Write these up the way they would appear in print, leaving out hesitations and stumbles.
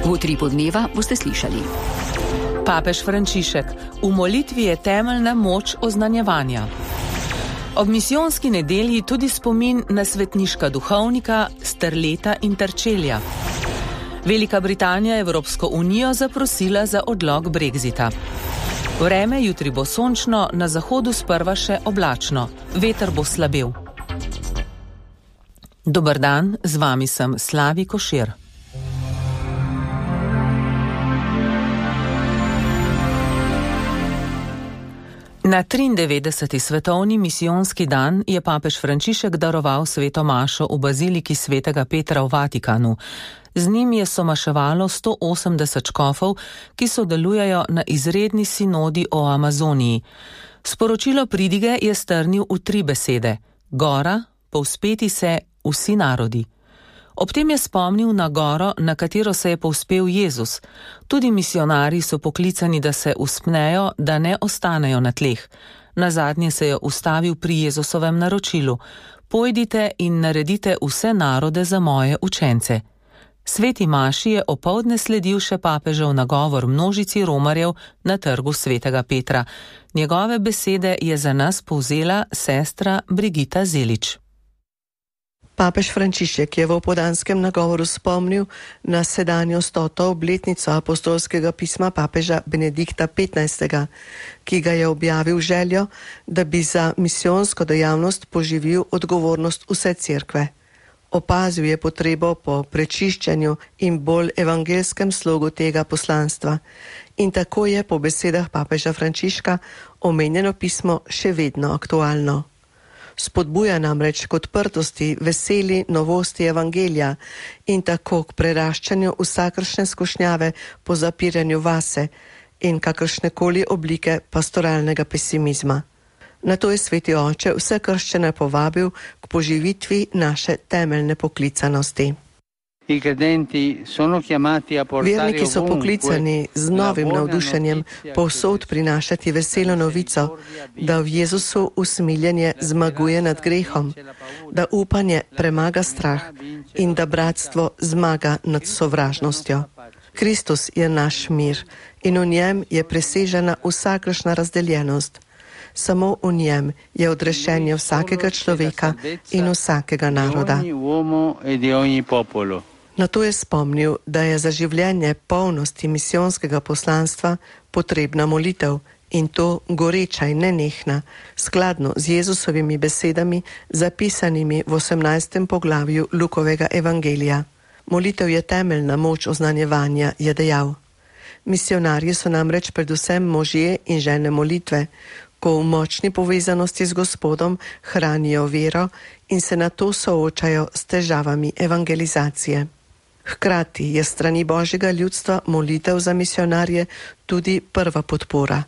V Utripu dneva boste slišali. Papež Frančišek: v molitvi je temeljna moč oznanjevanja. Ob misijonski nedelji tudi spomin na svetniška duhovnika Sterleta in Terčelja. Velika Britanija je Evropsko unijo zaprosila za odlog Brexita. Vreme jutri bo sončno, na zahodu sprva še oblačno. Veter bo slabel. Dober dan, z vami sem Slavi Košir. Na 93. svetovni misijonski dan je papež Frančišek daroval sveto mašo v baziliki svetega Petra v Vatikanu. Z njim je somaševalo 180 škofov, ki sodelujejo na izredni sinodi o Amazoniji. Sporočilo pridige je strnil v 3 besede: gora, povzpeti se, vsi narodi. Ob tem je spomnil na goro, na katero se je povzpel Jezus. Tudi misionarji so poklicani, da se vzpnejo, da ne ostanejo na tleh. Nazadnje se je ustavil pri Jezusovem naročilu: pojdite in naredite vse narode za moje učence. Sveti maši je opoldne sledil še papežev nagovor množici romarjev na trgu svetega Petra. Njegove besede je za nas povzela sestra Brigita Zelič. Papež Frančišek je v opoldanskem nagovoru spomnil na sedanjo 100. obletnico apostolskega pisma papeža Benedikta XV., ki ga je objavil željo, da bi za misijonsko dejavnost poživil odgovornost vse cerkve. Opazil je potrebo po prečiščenju in bolj evangelskem slogu tega poslanstva in tako je po besedah papeža Frančiška omenjeno pismo še vedno aktualno. Spodbuja namreč k odprtosti, veseli novosti evangelija in tako k preraščanju vsakršne skušnjave po zapiranju vase in kakršnekoli oblike pastoralnega pesimizma. Na to je sveti oče vse krščane povabil k poživitvi naše temeljne poklicanosti. Verniki so poklicani z novim navdušenjem povsod prinašati veselo novico, da v Jezusu usmiljenje zmaguje nad grehom, da upanje premaga strah in da bratstvo zmaga nad sovražnostjo. Kristus je naš mir in v njem je presežena vsakršna razdeljenost. Samo v njem je odrešenje vsakega človeka in vsakega naroda. Na to je spomnil, da je za življenje polnosti misijonskega poslanstva potrebna molitev in to goreča in nenehna, skladno z Jezusovimi besedami, zapisanimi v 18. poglavju Lukovega evangelija. Molitev je temeljna moč oznanjevanja, je dejal. Misionarji so namreč predvsem možje in žene molitve, ko v močni povezanosti z Gospodom hranijo vero in se na to soočajo s težavami evangelizacije. Hkrati je strani Božjega ljudstva molitev za misionarje tudi prva podpora.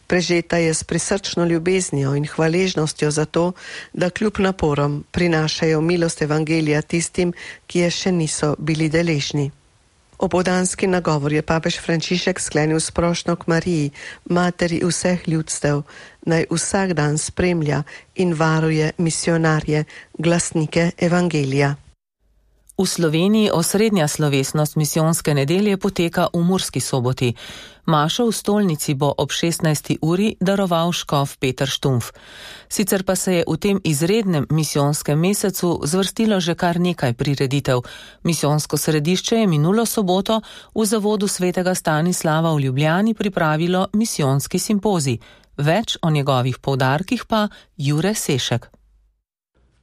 Prežeta je s prisrčno ljubeznijo in hvaležnostjo za to, da kljub naporom prinašajo milost evangelija tistim, ki je še niso bili deležni. Opoldanski nagovor je papež Frančišek sklenil s prošnjo k Mariji, materi vseh ljudstev, naj vsak dan spremlja in varuje misionarje, glasnike evangelija. V Sloveniji osrednja slovesnost misijonske nedelje poteka v Murski Soboti. Mašo v stolnici bo ob 16. uri daroval škof Peter Štumpf. Sicer pa se je v tem izrednem misijonskem mesecu zvrstilo že kar nekaj prireditev. Misijonsko središče je minulo soboto v zavodu svetega Stanislava v Ljubljani pripravilo misijonski simpozij. Več o njegovih poudarkih pa Jure Sešek.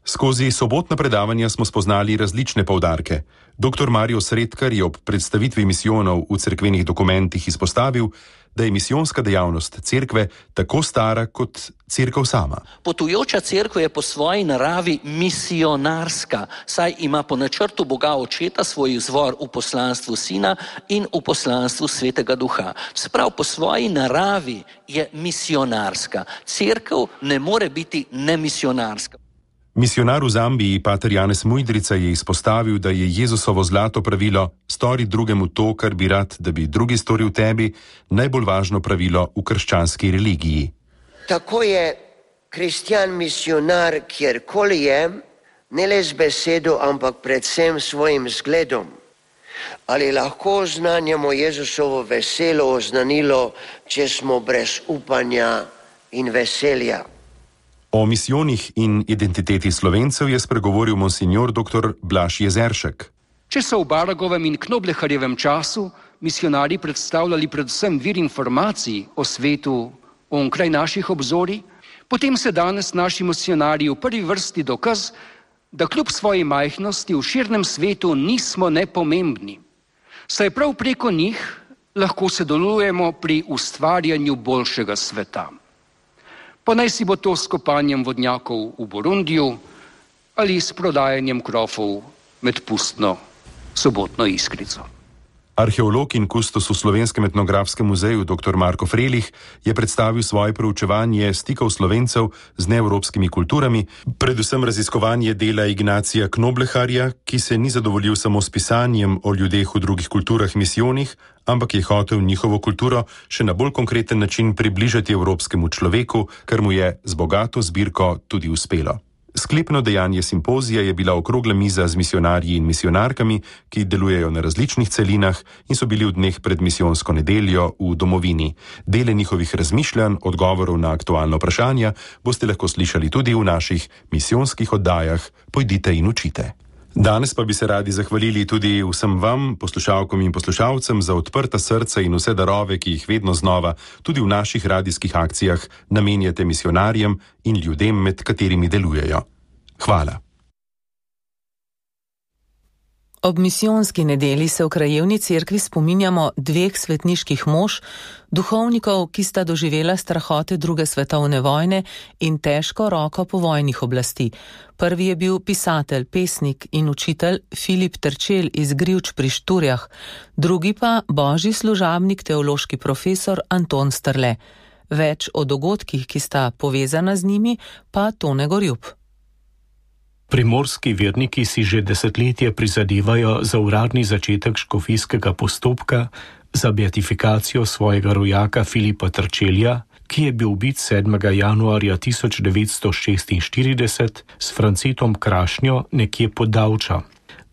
Skozi sobotna predavanja smo spoznali različne poudarke. Dr. Mario Sredkar je ob predstavitvi misijonov v cerkvenih dokumentih izpostavil, da je misijonska dejavnost cerkve tako stara kot cerkev sama. Potujoča cerkev je po svoji naravi misionarska, saj ima po načrtu Boga Očeta svoj izvor v poslanstvu Sina in v poslanstvu Svetega Duha. Sprav po svoji naravi je misionarska. Cerkev ne more biti nemisionarska. Misionar v Zambiji, pater Janez Mujdrica, je izpostavil, da je Jezusovo zlato pravilo stori drugemu to, kar bi rad, da bi drugi storil tebi, najbolj važno pravilo v krščanski religiji. Tako je kristjan misionar, kjerkoli je, ne le z besedo, ampak predvsem svojim zgledom. Ali lahko oznanjamo Jezusovo veselo oznanilo, če smo brez upanja in veselja? O misijonih in identiteti Slovencev je spregovoril monsignor dr. Blaž Jezeršek. Če so v Baragovem in Knobleharjevem času misionarji predstavljali predvsem vir informacij o svetu onkraj naših obzorij, potem se danes naši misionarji v prvi vrsti dokaz, da kljub svoji majhnosti v širnem svetu nismo nepomembni. Saj prav preko njih lahko sodelujemo pri ustvarjanju boljšega sveta. Pa naj si bo to s kopanjem vodnjakov v Burundiju ali s prodajanjem krofov med pustno sobotno iskrico. Arheolog in kustos v Slovenskem etnografskem muzeju dr. Marko Frelih je predstavil svoje proučevanje stikov Slovencev z neevropskimi kulturami, predvsem raziskovanje dela Ignacija Knobleharja, ki se ni zadovoljil samo s pisanjem o ljudeh v drugih kulturah misijonih, ampak je hotel njihovo kulturo še na bolj konkreten način približati evropskemu človeku, kar mu je z bogato zbirko tudi uspelo. Sklepno dejanje simpozija je bila okrogla miza z misionarji in misionarkami, ki delujejo na različnih celinah in so bili v dneh pred misijonsko nedeljo v domovini. Dele njihovih razmišljanj, odgovorov na aktualna vprašanja boste lahko slišali tudi v naših misijonskih oddajah Pojdite in učite. Danes pa bi se radi zahvalili tudi vsem vam, poslušalkom in poslušalcem, za odprta srca in vse darove, ki jih vedno znova, tudi v naših radijskih akcijah, namenjate misionarjem in ljudem, med katerimi delujejo. Hvala. Ob misijonski nedeli se v krajevni cerkvi spominjamo dveh svetniških mož, duhovnikov, ki sta doživela strahote druge svetovne vojne in težko roko povojnih oblasti. Prvi je bil pisatelj, pesnik in učitelj Filip Terčelj iz Grivč pri Šturjah, drugi pa božji služabnik, teološki profesor Anton Strle. Več o dogodkih, ki sta povezana z njimi, pa Tone Gorjup. Primorski verniki si že desetletje prizadevajo za uradni začetek škofijskega postopka za beatifikacijo svojega rojaka Filipa Terčelja, ki je bil ubit 7. januarja 1946 s Francetom Krašnjo nekje pod Davča.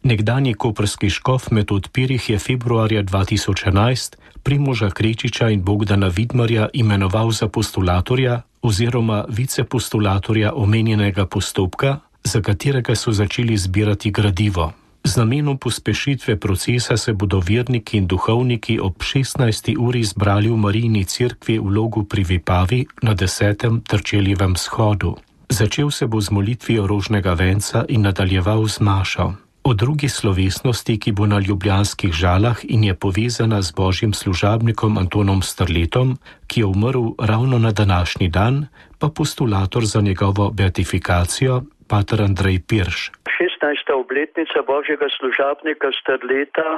Nekdanji koprski škof Metod Pirih je februarja 2011 Primoža Krečiča in Bogdana Vidmarja imenoval za postulatorja oziroma vicepostulatorja omenjenega postopka, za katerega so začeli zbirati gradivo. Z namenom pospešitve procesa se bodo verniki in duhovniki ob 16. uri zbrali v Marijini cerkvi v Logu pri Vipavi na 10. Terčeljevem shodu. Začel se bo z molitvijo rožnega venca in nadaljeval z mašo. O drugi slovesnosti, ki bo na ljubljanskih Žalah in je povezana z božjim služabnikom Antonom Strletom, ki je umrl ravno na današnji dan, pa postulator za njegovo beatifikacijo, pater Andrej Pirš. 16. obletnica božjega služabnika Strleta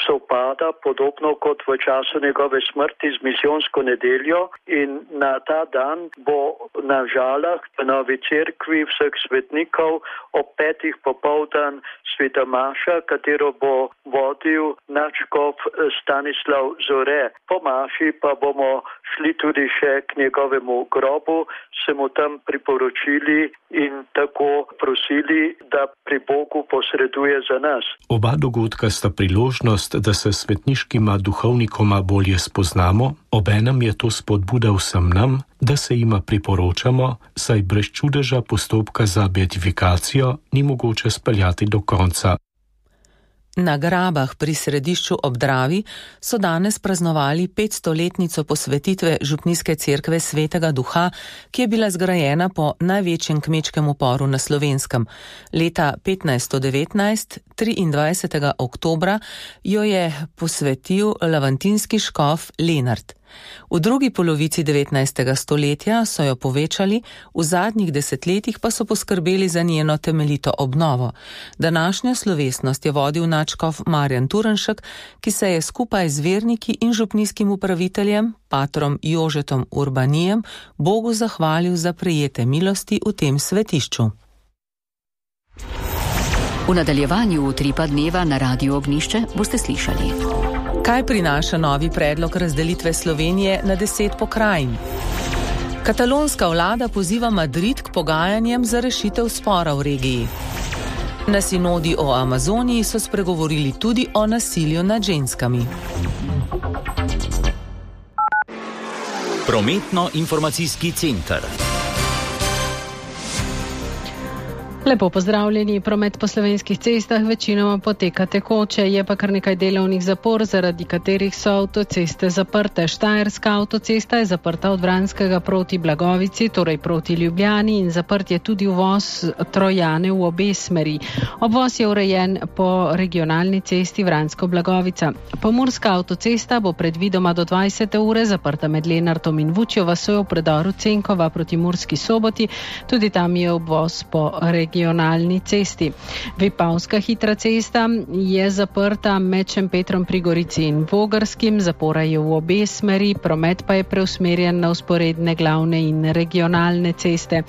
sovpada podobno kot v času njegove smrti z misijonsko nedeljo in na ta dan bo na Žalah v Novi cerkvi vseh svetnikov ob 5. popoldan sveta maša, katero bo vodil nadškof Stanislav Zore. Po maši pa bomo šli tudi še k njegovemu grobu, se mu tam priporočili in tako prosili, da pri Bogu posreduje za nas. Oba dogodka sta priložnost, da se svetniškima duhovnikoma bolje spoznamo, obenem je to spodbuda vsem nam, da se jima priporočamo, saj brez čudeža postopka za beatifikacijo ni mogoče speljati do konca. Na Grabah pri središču ob Dravi so danes praznovali 500-letnico posvetitve župnijske cerkve Svetega Duha, ki je bila zgrajena po največjem kmečkem uporu na Slovenskem. Leta 1519, 23. oktobra, jo je posvetil lavantinski škof Lenart. V drugi polovici 19. stoletja so jo povečali, v zadnjih desetletjih pa so poskrbeli za njeno temeljito obnovo. Današnjo slovesnost je vodil nadškof Marjan Turnšek, ki se je skupaj z verniki in župnijskim upraviteljem, patrom Jožetom Urbanijem, Bogu zahvalil za prejete milosti v tem svetišču. V nadaljevanju Utripa dneva na Radiu Ognjišče boste slišali. Kaj prinaša novi predlog razdelitve Slovenije na 10 pokrajin? Katalonska vlada poziva Madrid k pogajanjem za rešitev spora v regiji. Na sinodi o Amazoniji so spregovorili tudi o nasilju nad ženskami. Prometno-informacijski center. Lepo pozdravljeni. Promet po slovenskih cestah večinoma poteka tekoče, je pa kar nekaj delovnih zapor, zaradi katerih so avtoceste zaprte. Štajerska avtocesta je zaprta od Vranskega proti Blagovici, torej proti Ljubljani, in zaprt je tudi uvoz Trojane v obe smeri. Obvoz je urejen po regionalni cesti Vransko-Blagovica. Pomurska avtocesta bo predvidoma do 20. ure zaprta med Lenartom in Vučjo vasjo v predoru Cenkova proti Murski Soboti, tudi tam je obvoz po regionalni cesti. Vipavska hitra cesta je zaprta med Šempetrom pri Gorici in Vogrskim, zapora je v obe smeri, promet pa je preusmerjen na vzporedne glavne in regionalne ceste.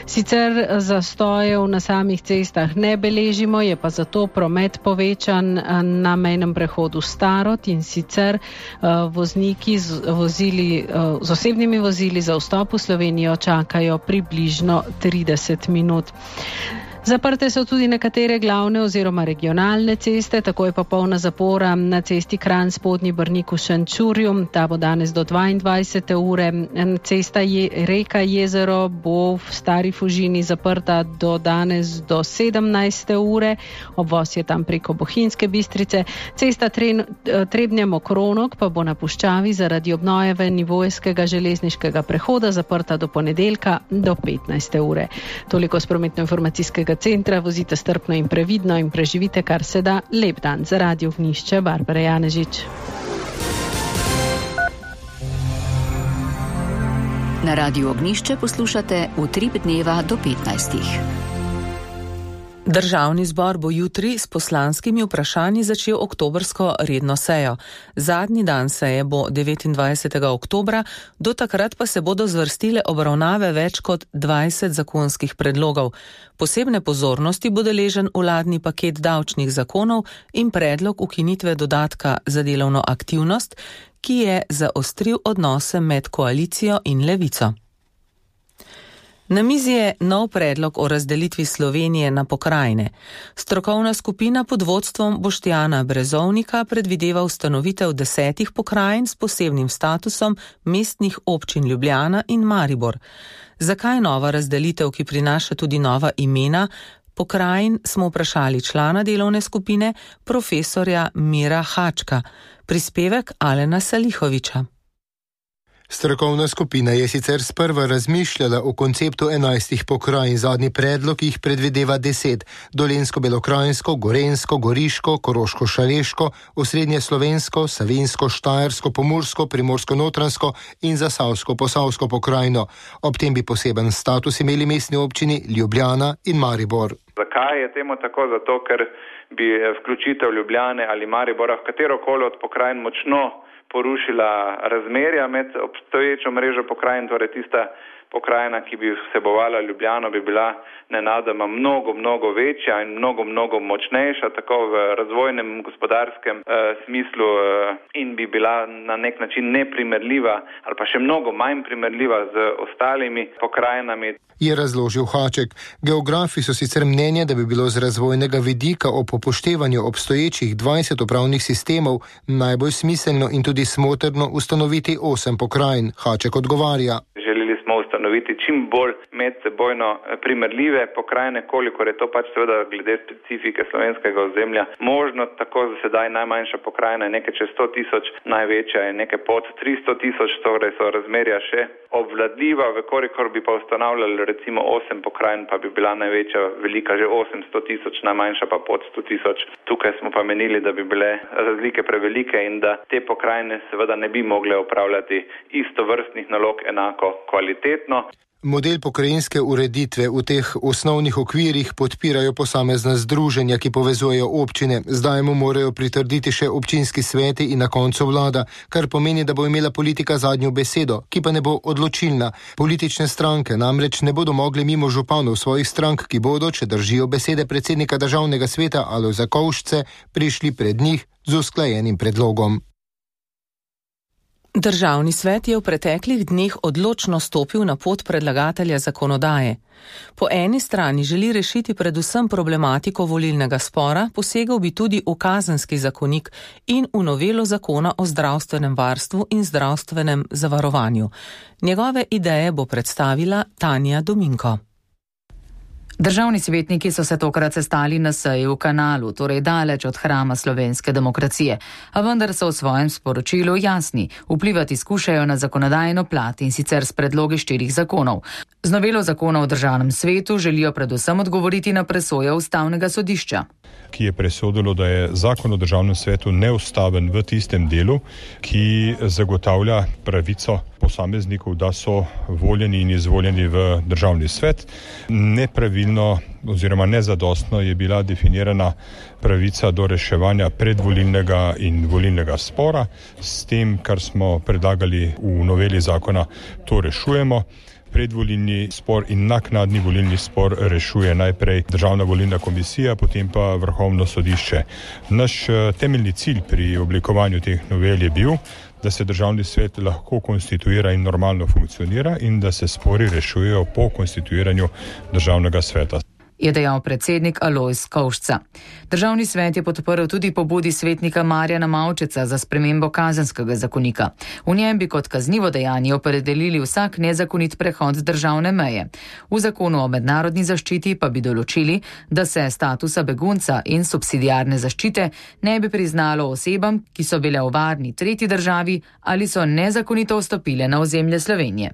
Sicer zastojev na samih cestah ne beležimo, je pa zato promet povečan na mejnem prehodu Starod, in sicer vozniki z osebnimi vozili za vstop v Slovenijo čakajo približno 30 minut. Zaprte so tudi nekatere glavne oziroma regionalne ceste, tako je pa polna zapora na cesti Kranj Spodnji Brnik v Šenčurju, ta bo danes do 22. ure. Cesta Reka Jezero bo v Stari Fužini zaprta do danes do 17. ure, obvoz je tam preko Bohinjske Bistrice. Cesta Trebnje-Mokronog pa bo na puščavi zaradi obnove nivojskega železniškega prehoda zaprta do ponedeljka do 15. ure. Toliko s prometno-informacijskega centra, vozite strpno in previdno in preživite kar se da lep dan. Za Radio Ognišče, Barbara Janežič. Na Radio Ognišče poslušate Utrip dneva do 15. Državni zbor bo jutri s poslanskimi vprašanji začel oktobrsko redno sejo. Zadnji dan seje bo 29. oktobra, do takrat pa se bodo zvrstile obravnave več kot 20 zakonskih predlogov. Posebne pozornosti bo deležen vladni paket davčnih zakonov in predlog ukinitve dodatka za delovno aktivnost, ki je zaostril odnose med koalicijo in levico. Na mizi je nov predlog o razdelitvi Slovenije na pokrajine. Strokovna skupina pod vodstvom Boštjana Brezovnika predvideva ustanovitev 10 pokrajin s posebnim statusom mestnih občin Ljubljana in Maribor. Zakaj nova razdelitev, ki prinaša tudi nova imena pokrajin, smo vprašali člana delovne skupine, profesorja Mira Hačka. Prispevek Alena Salihoviča. Strokovna skupina je sicer sprva razmišljala o konceptu 11 pokrajin, zadnji predlog jih predvideva 10, Dolenjsko-Belokranjsko, Gorenjsko, Goriško, Koroško-Šaleško, Osrednjeslovensko, Savinjsko, Štajersko, Pomursko, Primorsko-Notranjsko in Zasavsko-Posavsko pokrajino. Ob tem bi poseben status imeli mestni občini Ljubljana in Maribor. Zakaj je temu tako? Zato, ker bi vključitev Ljubljane ali Maribora v katerokoli od pokrajin močno porušila razmerja med obstoječo mrežo pokrajin, torej tista pokrajina, ki bi vsebovala Ljubljano, bi bila nenadoma mnogo večja in mnogo močnejša, tako v razvojnem, gospodarskem smislu, in bi bila na nek način neprimerljiva ali pa še mnogo manj primerljiva z ostalimi pokrajinami. Je razložil Haček. Geografi so sicer mnenja, da bi bilo z razvojnega vidika ob upoštevanju obstoječih 20 upravnih sistemov najbolj smiselno in tudi smotrno ustanoviti 8 pokrajin. Haček odgovarja. Želeli smo ustanoviti čim bolj medsebojno primerljive pokrajine, kolikor je to pač seveda glede specifike slovenskega ozemlja možno. Tako za sedaj najmanjša pokrajina je nekaj čez 100.000, največja je nekaj pod 300.000, torej so razmerja še obvladljiva, vekolikor bi pa ustanavljali recimo 8 pokrajin, pa bi bila največja velika že 800.000, najmanjša pa pod 100.000. Tukaj smo pa menili, da bi bile razlike prevelike in da te pokrajine seveda ne bi mogle opravljati istovrstnih nalog enako kvalitetno. Model pokrajinske ureditve v teh osnovnih okvirih podpirajo posamezna združenja, ki povezujejo občine. Zdaj mu morajo pritrditi še občinski sveti in na koncu vlada, kar pomeni, da bo imela politika zadnjo besedo, ki pa ne bo odločilna. Politične stranke namreč ne bodo mogli mimo županov svojih strank, ki bodo, če držijo besede predsednika državnega sveta Alojza Kovšce, prišli pred njih z usklajenim predlogom. Državni svet je v preteklih dneh odločno stopil na pot predlagatelja zakonodaje. Po eni strani želi rešiti predvsem problematiko volilnega spora, posegal bi tudi v kazenski zakonik in v novelo zakona o zdravstvenem varstvu in zdravstvenem zavarovanju. Njegove ideje bo predstavila Tanja Dominko. Državni svetniki so se tokrat sestali na seji v Kanalu, torej daleč od hrama slovenske demokracije, a vendar so v svojem sporočilu jasni, vplivati skušajo na zakonodajno plat in sicer s predlogi 4 zakonov. Z novelo zakona o državnem svetu želijo predvsem odgovoriti na presojo ustavnega sodišča, ki je presodilo, da je zakon o državnem svetu neustaven v tistem delu, ki zagotavlja pravico posameznikov, da so voljeni in izvoljeni v državni svet. Nepravilno oziroma nezadostno je bila definirana pravica do reševanja predvolilnega in volilnega spora. S tem, kar smo predlagali v noveli zakona, to rešujemo. Predvolilni spor in naknadni volilni spor rešuje najprej Državna volilna komisija, potem pa Vrhovno sodišče. Naš temeljni cilj pri oblikovanju teh novel je bil, da se državni svet lahko konstituira in normalno funkcionira in da se spori rešujejo po konstituiranju državnega sveta, je dejal predsednik Alojz Kovšca. Državni svet je podprl tudi pobudi svetnika Marjana Maučeca za spremembo kazenskega zakonika. V njem bi kot kaznivo dejanje opredelili vsak nezakonit prehod državne meje. V zakonu o mednarodni zaščiti pa bi določili, da se statusa begunca in subsidiarne zaščite ne bi priznalo osebam, ki so bile v varni tretji državi ali so nezakonito vstopile na ozemlje Slovenije.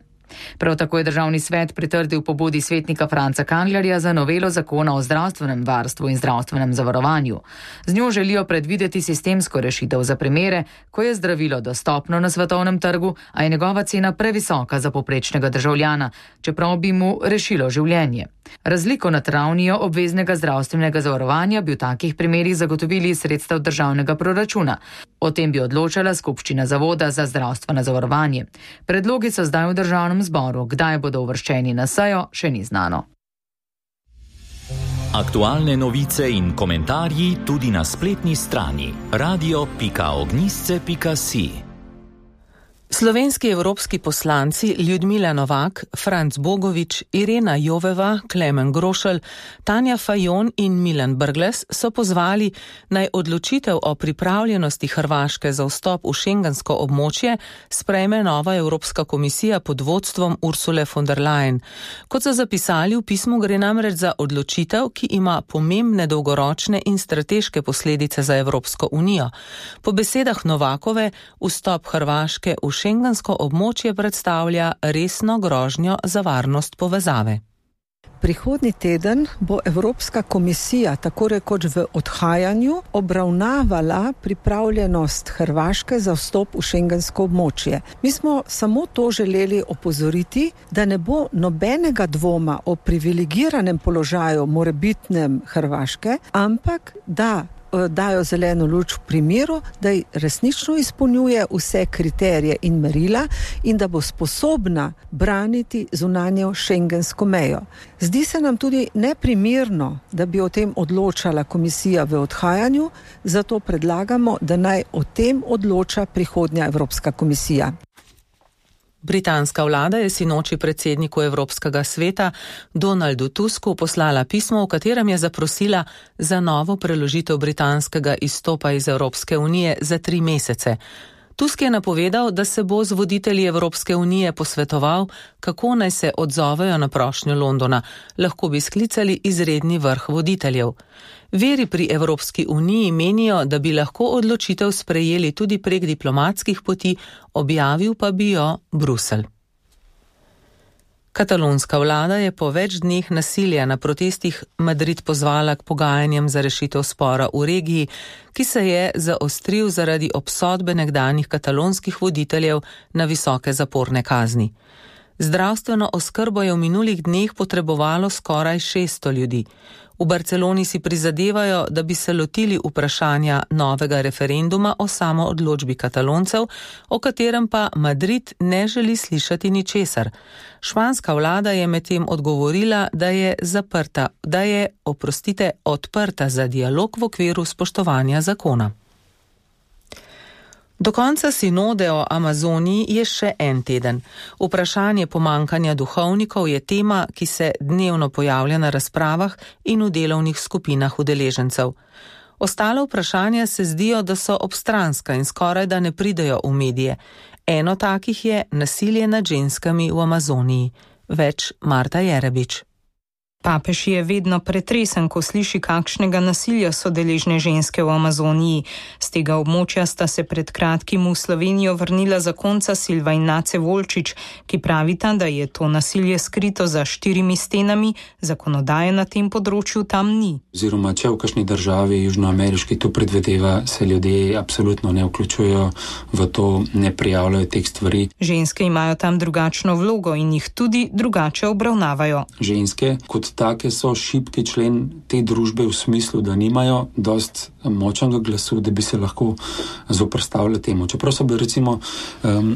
Prav tako je državni svet pritrdil pobudi svetnika Franca Kanglerja za novelo zakona o zdravstvenem varstvu in zdravstvenem zavarovanju. Z njo želijo predvideti sistemsko rešitev za primere, ko je zdravilo dostopno na svetovnem trgu, a je njegova cena previsoka za povprečnega državljana, čeprav bi mu rešilo življenje. Razliko nad ravnijo obveznega zdravstvenega zavarovanja bi v takih primerih zagotovili iz sredstev državnega proračuna. O tem bi odločala skupščina Zavoda za zdravstveno zavarovanje. Predlogi so zdaj v državnem zboru, kdaj bodo uvrščeni na sejo, še ni znano. Aktualne novice in komentarji tudi na spletni strani radio.ognisce.si. Slovenski evropski poslanci Ljudmila Novak, Franc Bogovič, Irena Joveva, Klemen Grošelj, Tanja Fajon in Milan Brglez so pozvali, naj odločitev o pripravljenosti Hrvaške za vstop v šengensko območje sprejme nova Evropska komisija pod vodstvom Ursule von der Leyen. Kot so zapisali v pismu, gre namreč za odločitev, ki ima pomembne dolgoročne in strateške posledice za Evropsko unijo. Po besedah Novakove, vstop Hrvaške v šengensko območje predstavlja resno grožnjo za varnost povezave. Prihodnji teden bo Evropska komisija tako rekoč v odhajanju obravnavala pripravljenost Hrvaške za vstop v šengensko območje. Mi smo samo to želeli opozoriti, da ne bo nobenega dvoma o privilegiranem položaju morebitnem Hrvaške, ampak da dajo zeleno luč v primeru, da resnično izpolnjuje vse kriterije in merila in da bo sposobna braniti zunanjo šengensko mejo. Zdi se nam tudi neprimerno, da bi o tem odločala komisija v odhajanju, zato predlagamo, da naj o tem odloča prihodnja Evropska komisija. Britanska vlada je sinoči predsedniku Evropskega sveta Donaldu Tusku poslala pismo, v katerem je zaprosila za novo preložitev britanskega izstopa iz Evropske unije za 3 mesece. Tusk je napovedal, da se bo z voditelji Evropske unije posvetoval, kako naj se odzovejo na prošnjo Londona. Lahko bi sklicali izredni vrh voditeljev. Viri pri Evropski uniji menijo, da bi lahko odločitev sprejeli tudi prek diplomatskih poti, objavil pa bi jo Bruselj. Katalonska vlada je po več dneh nasilja na protestih Madrid pozvala k pogajanjem za rešitev spora v regiji, ki se je zaostril zaradi obsodbe nekdanjih katalonskih voditeljev na visoke zaporne kazni. Zdravstveno oskrbo je v minulih dneh potrebovalo skoraj 600 ljudi. V Barceloni si prizadevajo, da bi se lotili vprašanja novega referenduma o samoodločbi Kataloncev, o katerem pa Madrid ne želi slišati ničesar. Španska vlada je medtem odgovorila, da je odprta za dialog v okviru spoštovanja zakona. Do konca sinode o Amazoniji je še en teden. Vprašanje pomankanja duhovnikov je tema, ki se dnevno pojavlja na razpravah in v delovnih skupinah udeležencev. Ostale vprašanja se zdijo, da so obstranska in skoraj da ne pridejo v medije. Eno takih je nasilje nad ženskami v Amazoniji. Več Marta Jerebič. Papež je vedno pretresen, ko sliši, kakšnega nasilja so deležne ženske v Amazoniji. Z tega območja sta se pred kratkim v Slovenijo vrnila zakonca Silva in Nace Volčič, ki pravita, da je to nasilje skrito za 4 stenami, zakonodaje na tem področju tam ni. Oziroma, če v kakšni državi južnoameriški to predvedeva, se ljudje absolutno ne vključujejo v to, ne prijavljajo teh stvari. Ženske imajo tam drugačno vlogo in jih tudi drugače obravnavajo. Ženske kot take so šibki člen te družbe v smislu, da nimajo dost močnega glasu, da bi se lahko zoprstavili temu. Čeprav so bili recimo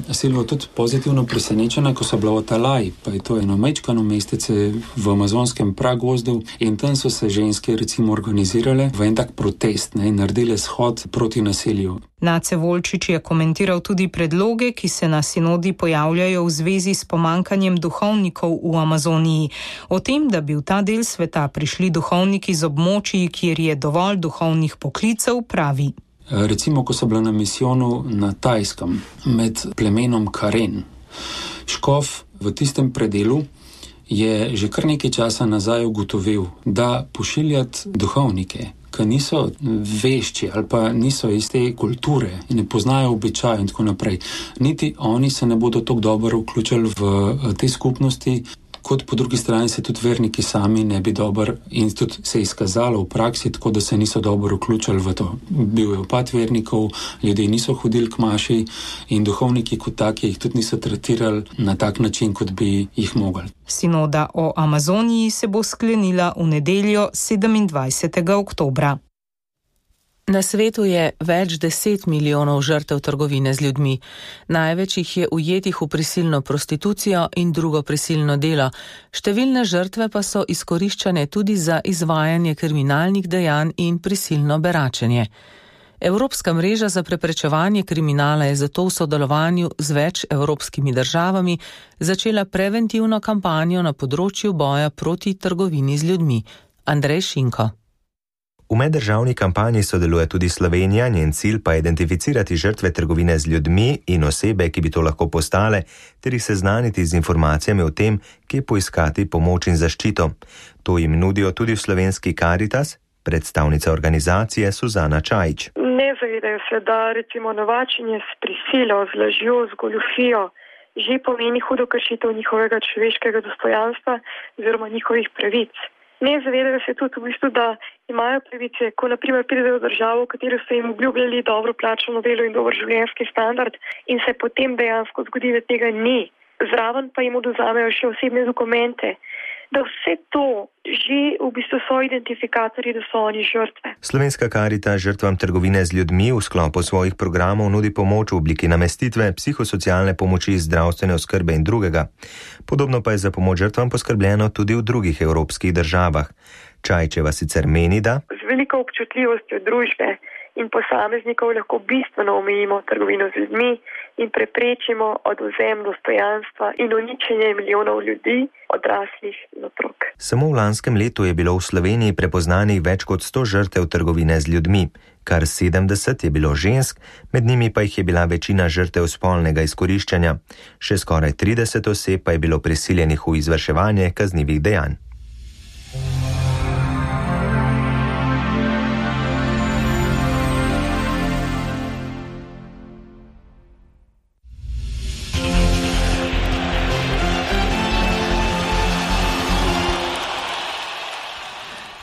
Silva tudi pozitivno presenečena, ko so bila v Talaji, pa je to eno majčkano mestece v amazonskem pragozdu in tam so se ženske recimo organizirale v en tak protest, in naredile shod proti nasilju. Nace Volčič je komentiral tudi predloge, ki se na sinodi pojavljajo v zvezi s pomankanjem duhovnikov v Amazoniji. O tem, da bi v ta del sveta prišli duhovniki z območij, kjer je dovolj duhovnih poklicev, pravi. Recimo, ko so bila na misijonu na Tajskem med plemenom Karen, škof v tistem predelu je že kar nekaj časa nazaj ugotovil, da pošiljati duhovnike, ki niso vešči ali pa niso iz te kulture in ne poznajo običajev in tako naprej, niti oni se ne bodo tako dobro vključili v te skupnosti, kot po drugi strani se tudi verniki sami ne bi dobro in tudi se je izkazalo v praksi, tako da se niso dobro vključili v to. Bil je upad vernikov, ljudje niso hodili k maši in duhovniki kot taki jih tudi niso tretirali na tak način, kot bi jih mogli. Sinoda o Amazoniji se bo sklenila v nedeljo 27. oktobra. Na svetu je več 10 milijonov žrtev trgovine z ljudmi. Največ jih je ujetih v prisilno prostitucijo in drugo prisilno delo. Številne žrtve pa so izkoriščane tudi za izvajanje kriminalnih dejanj in prisilno beračenje. Evropska mreža za preprečevanje kriminala je zato v sodelovanju z več evropskimi državami začela preventivno kampanjo na področju boja proti trgovini z ljudmi. Andrej Šinko. V meddržavni kampanji sodeluje tudi Slovenija, njen cilj pa je identificirati žrtve trgovine z ljudmi in osebe, ki bi to lahko postale, ter jih seznaniti z informacijami o tem, kje poiskati pomoč in zaščito. To jim nudijo tudi v slovenski Caritas, predstavnica organizacije Suzana Čajić. Ne zavedajo se, da recimo novačenje s prisilo, z lažjo, z goljufijo že pomeni hudo kršitev njihovega človeškega dostojanstva oziroma njihovih pravic. Ne zavedajo se tudi v bistvu, da imajo pravice, ko naprimer pridejo v državo, v katero so jim obljubljali dobro plačano delo in dober življenjski standard in se potem dejansko zgodi, da tega ni. Zraven pa jim oduzamejo še osebne dokumente, da vse to že v bistvu so identifikatorji, da so oni žrtve. Slovenska Caritas žrtvam trgovine z ljudmi v sklopu svojih programov nudi pomoč v obliki namestitve, psihosocialne pomoči, zdravstvene oskrbe in drugega. Podobno pa je za pomoč žrtvam poskrbljeno tudi v drugih evropskih državah. Čajčeva sicer meni, da z veliko občutljivostjo družbe in posameznikov lahko bistveno omejimo trgovino z ljudmi in preprečimo odvzem dostojanstva in uničenje milijonov ljudi, odraslih in otrok. Samo v lanskem letu je bilo v Sloveniji prepoznanih več kot 100 žrtev trgovine z ljudmi. Kar 70 je bilo žensk, med njimi pa jih je bila večina žrtev spolnega izkoriščanja. Še skoraj 30 oseb pa je bilo prisiljenih v izvrševanje kaznivih dejanj.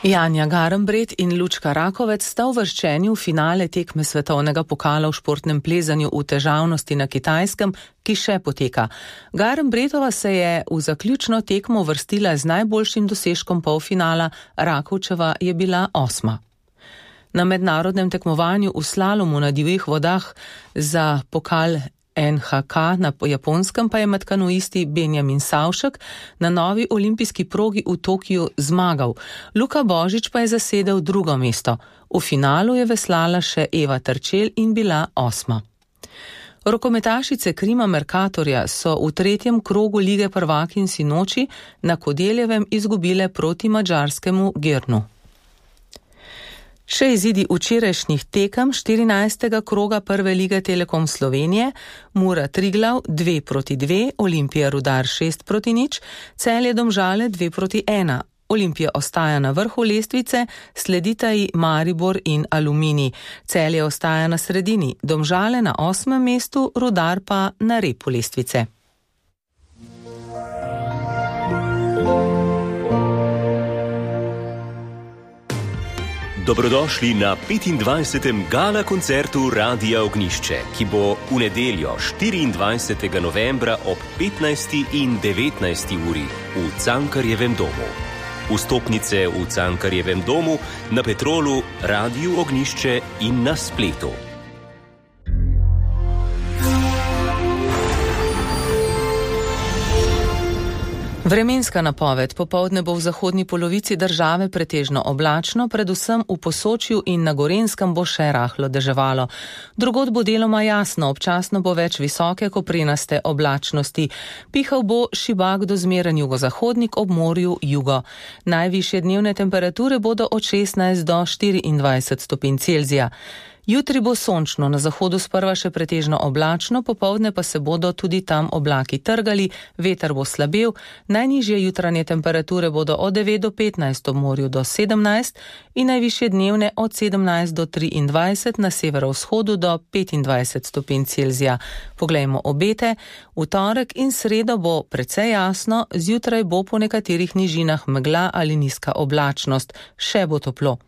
Janja Garnbret in Lučka Rakovec sta uvrščeni v finale tekme svetovnega pokala v športnem plezanju v težavnosti na Kitajskem, ki še poteka. Garnbretova se je v zaključno tekmo uvrstila z najboljšim dosežkom polfinala, Rakovčeva je bila 8. Na mednarodnem tekmovanju v slalomu na divjih vodah za pokal NHK na Japonskem pa je med kanuisti Benjamin Savšek na novi olimpijski progi v Tokiu zmagal. Luka Božič pa je zasedel drugo mesto. V finalu je veslala še Eva Terčelj in bila 8. Rokometašice Krima Mercatorja so v 3. krogu Lige prvakinj sinoči na Kodeljevem izgubile proti madžarskemu Gernu. Še izidi včerajšnjih tekem 14. kroga Prve lige Telekom Slovenije, Mura Triglav 2-2, Olimpija Rudar 6-0, Celje Domžale 2-1. Olimpija ostaja na vrhu lestvice, sledita ji Maribor in Aluminij. Celje ostaja na sredini, Domžale na 8. mestu, Rudar pa na repu lestvice. Dobrodošli na 25. gala koncertu Radia Ognišče, ki bo v nedeljo 24. novembra ob 15. in 19. uri v Cankarjevem domu. Vstopnice v Cankarjevem domu, na Petrolu, Radiu Ognišče in na spletu. Vremenska napoved. Popoldne bo v zahodni polovici države pretežno oblačno, predvsem v Posočju in na Gorenjskem bo še rahlo deževalo. Drugod bo deloma jasno, občasno bo več visoke koprenaste oblačnosti. Pihal bo šibak do zmeren jugozahodnik, ob morju jugo. Najvišje dnevne temperature bodo od 16 do 24 stopinj Celzija. Jutri bo sončno, na zahodu sprva še pretežno oblačno, popoldne pa se bodo tudi tam oblaki trgali, veter bo slabel, najnižje jutranje temperature bodo od 9 do 15, ob morju do 17 in najvišje dnevne od 17 do 23, na severovzhodu do 25 stopinj Celzija. Poglejmo obete. V torek in sredo bo precej jasno, zjutraj bo po nekaterih nižinah megla ali nizka oblačnost, še bo toplo.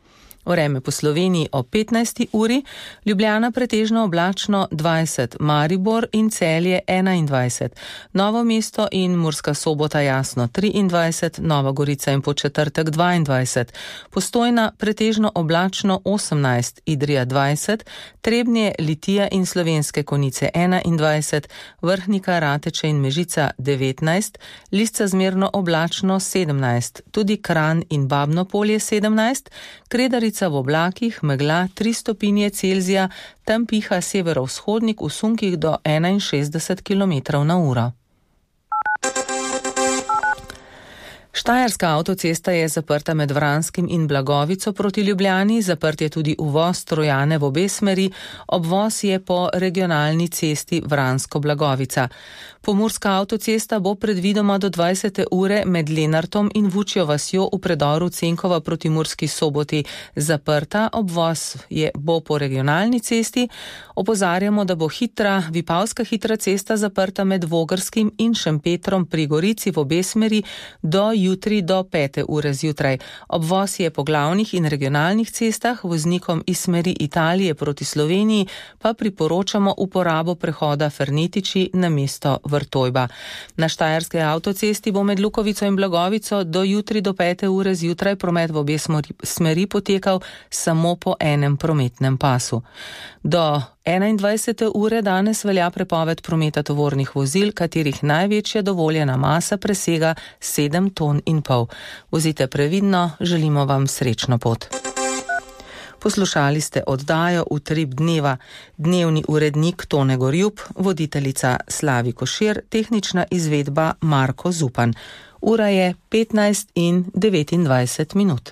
Vreme po Sloveniji o 15. uri, Ljubljana pretežno oblačno 20, Maribor in Celje 21, Novo mesto in Murska Sobota jasno 23, Nova Gorica in Podčetrtek 22, Postojna pretežno oblačno 18, Idrija 20, Trebnje, Litija in Slovenske Konjice 21, Vrhnika, Rateče in Mežica 19, Lisca zmerno oblačno 17, tudi Kranj in Babno Polje 17, Kredarica v oblakih, megla 3 stopinje Celzija, tam piha severovzhodnik v sunkih do 61 km/h. Štajerska avtocesta je zaprta med Vranskim in Blagovico proti Ljubljani, zaprt je tudi uvoz Trojane v obe smeri, obvoz je po regionalni cesti Vransko-Blagovica. Pomurska avtocesta bo predvidoma do 20. ure med Lenartom in Vučjo vasjo v predoru Cenkova proti Murski Soboti zaprta, obvoz bo po regionalni cesti. Opozarjamo, da bo Vipavska hitra cesta zaprta med Vogrskim in Šempetrom pri Gorici v obe smeri do jutri do 5. ure zjutraj. Obvoz je po glavnih in regionalnih cestah, voznikom iz smeri Italije proti Sloveniji pa priporočamo uporabo prehoda Fernetiči na mesto Vrtojba. Na štajerske avtocesti bo med Lukovico in Blagovico do jutri do 5. ure zjutraj promet v obe smeri potekal samo po enem prometnem pasu. Do 21. ure danes velja prepoved prometa tovornih vozil, katerih največja dovoljena masa presega 7,5 ton. Vozite previdno, želimo vam srečno pot. Poslušali ste oddajo Utrip dneva, dnevni urednik Tone Gorjup, voditeljica Slavi Košir, tehnična izvedba Marko Zupan. Ura je 15:29.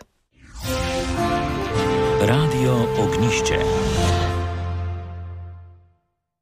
Radio Ognišče.